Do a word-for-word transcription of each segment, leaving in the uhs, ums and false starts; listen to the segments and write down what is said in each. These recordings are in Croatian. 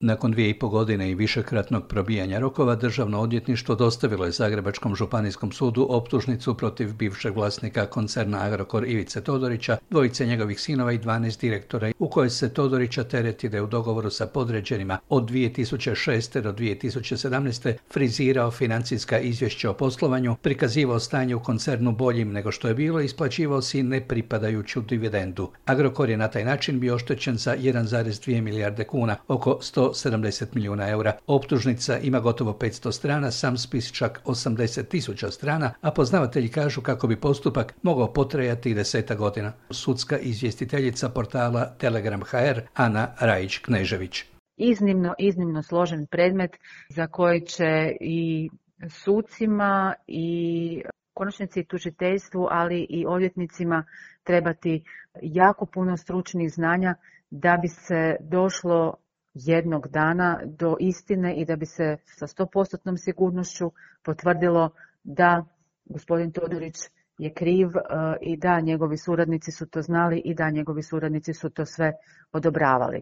Nakon dvije i po godine i višekratnog probijanja rokova, Državno odvjetništvo dostavilo je Zagrebačkom županijskom sudu optužnicu protiv bivšeg vlasnika koncerna Agrokor Ivice Todorića, dvojice njegovih sinova i dvanaest direktora, u kojoj se Todorića tereti da je u dogovoru sa podređenima od dvije tisuće šeste do dvije tisuće sedamnaeste frizirao financijska izvješća o poslovanju, prikazivao stanje u koncernu boljim nego što je bilo i isplaćivao si nepripadajuću dividendu. Agrokor je na taj način bio oštećen za jedan zarez dvije milijarde kuna, oko sto sedamdeset milijuna eura. Optužnica ima gotovo petsto strana, sam spis čak osamdeset tisuća strana, a poznavatelji kažu kako bi postupak mogao potrajati desetak godina. Sudska izvjestiteljica portala Telegram punkt h r Ana Rajić-Knežević. Iznimno, iznimno složen predmet za koji će i sucima i konačnici tužiteljstvu, ali i odvjetnicima trebati jako puno stručnih znanja da bi se došlo jednog dana do istine i da bi se sa sto posto sigurnošću potvrdilo da gospodin Todorić je kriv i da njegovi suradnici su to znali i da njegovi suradnici su to sve odobravali.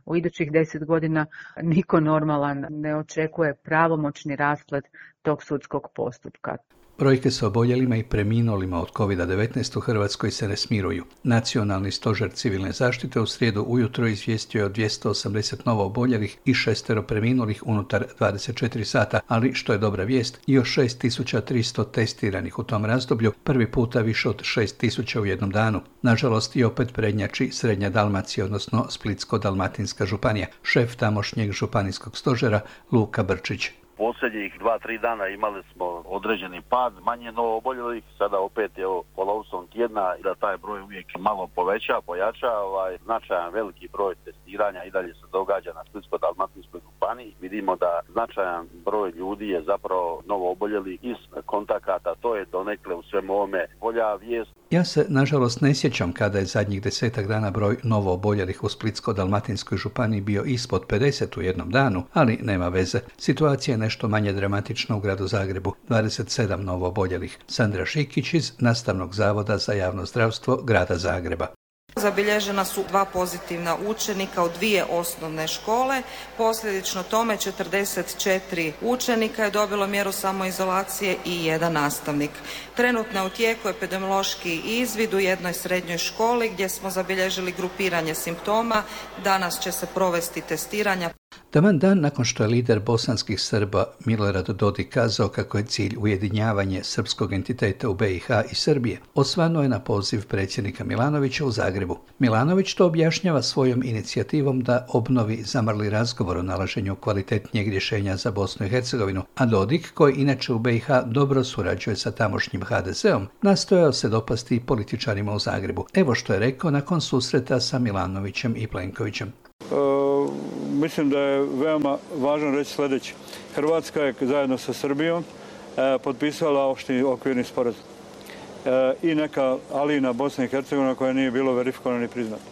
U idućih deset godina niko normalan ne očekuje pravomoćni rasplet tog sudskog postupka. Brojke sa oboljelima i preminulima od kovid devetnaest u Hrvatskoj se ne smiruju. Nacionalni stožer civilne zaštite u srijedu ujutro izvijestio je o dvjesto osamdeset novo oboljelih i šestero preminulih unutar dvadeset četiri sata, ali što je dobra vijest, još šest tisuća tristo testiranih u tom razdoblju, prvi puta više od šest tisuća u jednom danu. Nažalost i opet prednjači Srednja Dalmacija, odnosno Splitsko-dalmatinska županija. Šef tamošnjeg županijskog stožera Luka Brčić. Posljednjih dva, tri dana imali smo određeni pad, manje novo oboljelih, sada opet je polovicom tjedna da taj broj uvijek malo poveća, pojača, ovaj, značajan veliki broj testiranja i dalje se događa na Splitsko-dalmatinskoj županiji. Vidimo da značajan broj ljudi je zapravo novo oboljeli iz kontakata, to je donekle u svemu ovome bolja vijest. Ja se, nažalost, ne sjećam kada je zadnjih desetak dana broj novo oboljelih u Splitsko-dalmatinskoj županiji bio ispod pedeset u jednom danu, ali nema veze. Situacija je nešto manje dramatična u gradu Zagrebu, dvadeset sedam novo oboljelih. Sandra Šikić iz Nastavnog zavoda za javno zdravstvo grada Zagreba. Zabilježena su dva pozitivna učenika u dvije osnovne škole, posljedično tome četrdeset četiri učenika je dobilo mjeru samoizolacije i jedan nastavnik. Trenutno je u tijeku epidemiološki izvid u jednoj srednjoj školi gdje smo zabilježili grupiranje simptoma. Danas će se provesti testiranja. Taman dan nakon što je lider bosanskih Srba Milorad Dodik kazao kako je cilj ujedinjavanje srpskog entiteta u be i ha i Srbije, osvanuo je na poziv predsjednika Milanovića u Zagrebu. Milanović to objašnjava svojom inicijativom da obnovi zamrli razgovor o nalaženju kvalitetnijeg rješenja za Bosnu i Hercegovinu, a Dodik, koji inače u be i ha dobro surađuje sa tamošnjim ha de zom, nastojao se dopasti političarima u Zagrebu. Evo što je rekao nakon susreta sa Milanovićem i Plenkovićem. Uh, mislim da je veoma važno reći sljedeće. Hrvatska je zajedno sa Srbijom uh, potpisala opšti okvirni sporazum. Uh, I neka Alina Bosna i Hercegovina koja nije bilo verifikovana ni priznata.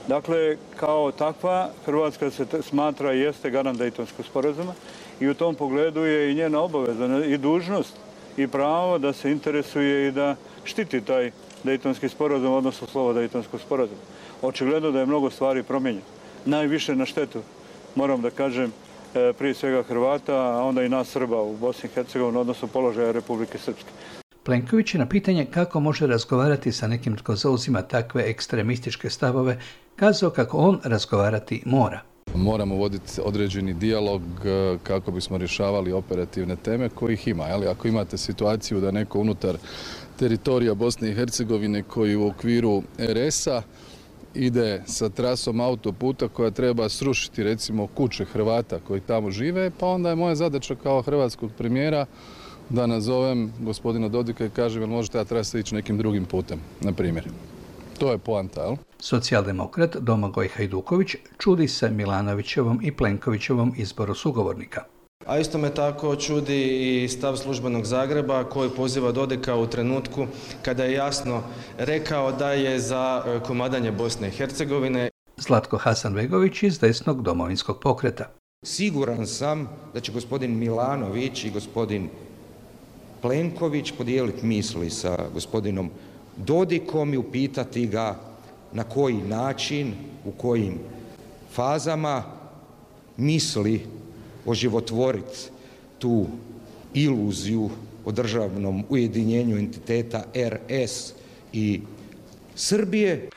Dakle, kao takva, Hrvatska se smatra i jeste garant Dejtonskog sporazuma i u tom pogledu je i njena obaveza i dužnost i pravo da se interesuje i da štiti taj Dejtonski sporazum, odnosno slovo Dejtonskog sporazuma. Očigledno da je mnogo stvari promijenjeno. Najviše na štetu, moram da kažem, prije svega Hrvata, a onda i nas Srba u Bosni i Hercegovini, odnosno položaja Republike Srpske. Plenković je na pitanje kako može razgovarati sa nekim tko zauzima takve ekstremističke stavove, kazao kako on razgovarati mora. Moramo voditi određeni dijalog kako bismo rješavali operativne teme kojih ima. Ali ako imate situaciju da neko unutar teritorija Bosne i Hercegovine koji u okviru er es a ide sa trasom autoputa koja treba srušiti recimo kuće Hrvata koji tamo žive, pa onda je moja zadaća kao hrvatskog premijera da nazovem gospodina Dodika i kažem jel može ta trasa ići nekim drugim putem, na primjer. To je poanta, jel? Socijaldemokrat Domagoj Hajduković čudi se Milanovićevom i Plenkovićevom izboru sugovornika. A isto me tako čudi i stav službenog Zagreba koji poziva Dodika u trenutku kada je jasno rekao da je za komadanje Bosne i Hercegovine. Zlatko Hasanbegović iz desnog Domovinskog pokreta. Siguran sam da će gospodin Milanović i gospodin Plenković podijeliti misli sa gospodinom Dodikom i upitati ga na koji način, u kojim fazama misli oživotvoriti tu iluziju o državnom ujedinjenju entiteta er es i Srbije.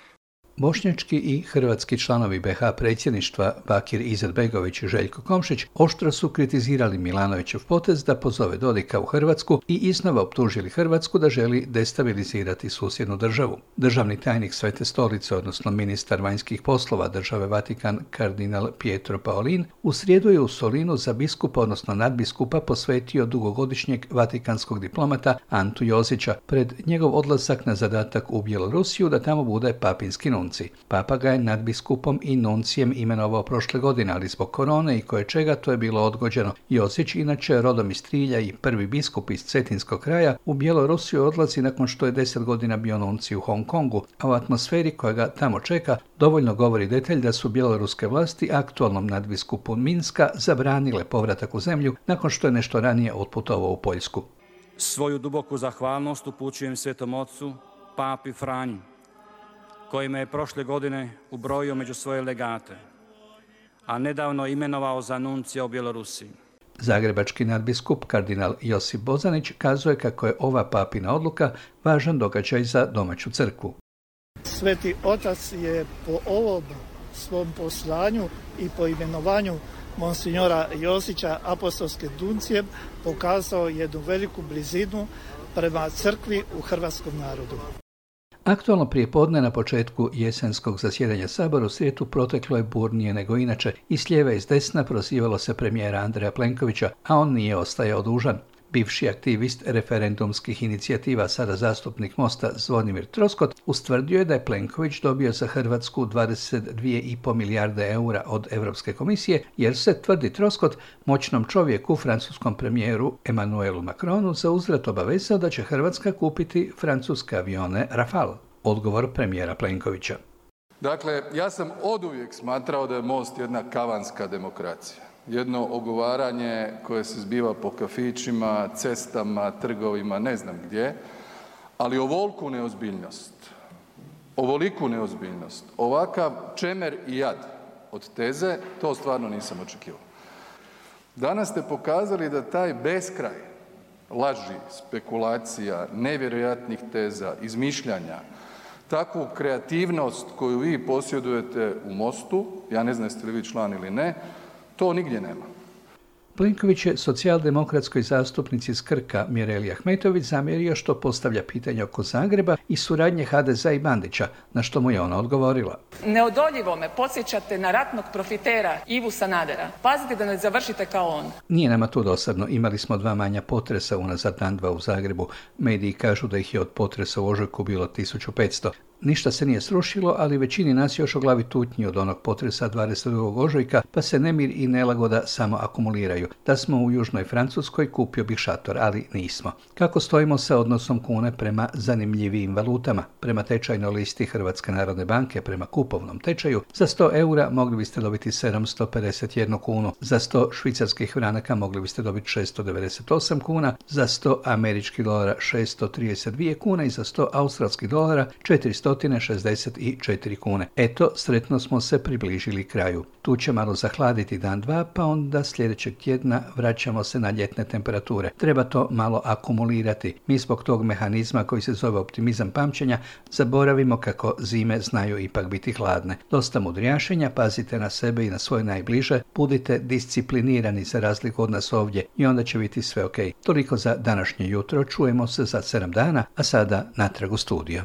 Bošnjački i hrvatski članovi be ha predsjedništva Bakir Izetbegović i Željko Komšić oštro su kritizirali Milanovićev potez da pozove Dodika u Hrvatsku i iznova optužili Hrvatsku da želi destabilizirati susjednu državu. Državni tajnik Svete stolice, odnosno ministar vanjskih poslova države Vatikan, kardinal Pietro Parolin, u srijedu je u Solinu za biskupa, odnosno nadbiskupa, posvetio dugogodišnjeg vatikanskog diplomata Antu Jozića pred njegov odlazak na zadatak u Bjelorusiju da tamo bude papinski nunci. Papa ga je nadbiskupom i nuncijem imenovao prošle godine, ali zbog korone i koje čega to je bilo odgođeno. Jozić, inače rodom iz Trilja i prvi biskup iz Cetinskog kraja, u Bjelorusiju odlazi nakon što je deset godina bio nunci u Hong Kongu, a u atmosferi koja ga tamo čeka dovoljno govori detalj da su bjeloruske vlasti aktualnom nadbiskupu Minska zabranile povratak u zemlju nakon što je nešto ranije otputovao u Poljsku. Svoju duboku zahvalnost upućujem Svetom Ocu, Papi Franji, koji me je prošle godine ubrojio među svoje legate, a nedavno imenovao za nuncija u Bjelorusiji. Zagrebački nadbiskup kardinal Josip Bozanić kazuje kako je ova papina odluka važan događaj za domaću crkvu. Sveti Otac je po ovom svom poslanju i po imenovanju monsinjora Josića apostolskim nuncijem pokazao jednu veliku blizinu prema crkvi u hrvatskom narodu. Aktualno prijepodne na početku jesenskog zasjedanja Sabora u srijedu proteklo je burnije nego inače. I s lijeva i s desna prozivalo se premijera Andreja Plenkovića, a on nije ostajao dužan. Bivši aktivist referendumskih inicijativa, sada zastupnik Mosta Zvonimir Troskot, ustvrdio je da je Plenković dobio za Hrvatsku dvadeset dvije i pol milijarde eura od Europske komisije, jer se, tvrdi Troskot, moćnom čovjeku, francuskom premijeru Emmanuelu Macronu, za uzvrat obavezao da će Hrvatska kupiti francuske avione Rafale. Odgovor premijera Plenkovića. Dakle, ja sam oduvijek smatrao da je Most jedna kavanska demokracija. Jedno ogovaranje koje se zbiva po kafićima, cestama, trgovima, ne znam gdje, ali ovoliku neozbiljnost, ovoliku neozbiljnost, ovakav čemer i jad od teze, to stvarno nisam očekivao. Danas ste pokazali da taj beskraj laži, spekulacija, nevjerojatnih teza, izmišljanja, takvu kreativnost koju vi posjedujete u Mostu, ja ne znam jeste li vi član ili ne, to nigdje nema. Plenković je socijaldemokratskoj zastupnici iz Krka Mireli Ahmetović zamjerio što postavlja pitanje oko Zagreba i suradnje ha de zea i Bandića, na što mu je ona odgovorila. Neodoljivo me podsjećate na ratnog profitera Ivu Sanadera. Pazite da ne završite kao on. Nije nama tu dosadno. Imali smo dva manja potresa unazad dan dva u Zagrebu. Mediji kažu da ih je od potresa u ožujku bilo tisuću petsto. Ništa se nije srušilo, ali većini nas još o glavi tutnji od onog potresa dvadeset drugog ožujka, pa se nemir i nelagoda samo akumuliraju. Da smo u južnoj Francuskoj, kupio bih šator, ali nismo. Kako stojimo sa odnosom kune prema zanimljivijim valutama? Prema tečajnoj listi Hrvatske narodne banke, prema kupovnom tečaju, za sto eura mogli biste dobiti sedamsto pedeset jednu kunu, za sto švicarskih franaka mogli biste dobiti šesto devedeset osam kuna, za sto američkih dolara šesto trideset dvije kune i za sto australskih dolara četiristo šezdeset četiri kune. Eto, sretno smo se približili kraju. Tu će malo zahladiti dan dva, pa onda sljedećeg tjedna vraćamo se na ljetne temperature. Treba to malo akumulirati. Mi zbog tog mehanizma koji se zove optimizam pamćenja zaboravimo kako zime znaju ipak biti hladne. Dosta mudrijašenja, pazite na sebe i na svoje najbliže, budite disciplinirani za razliku od nas ovdje i onda će biti sve ok. Toliko za današnje jutro, čujemo se za sedam dana, a sada natrag u studio.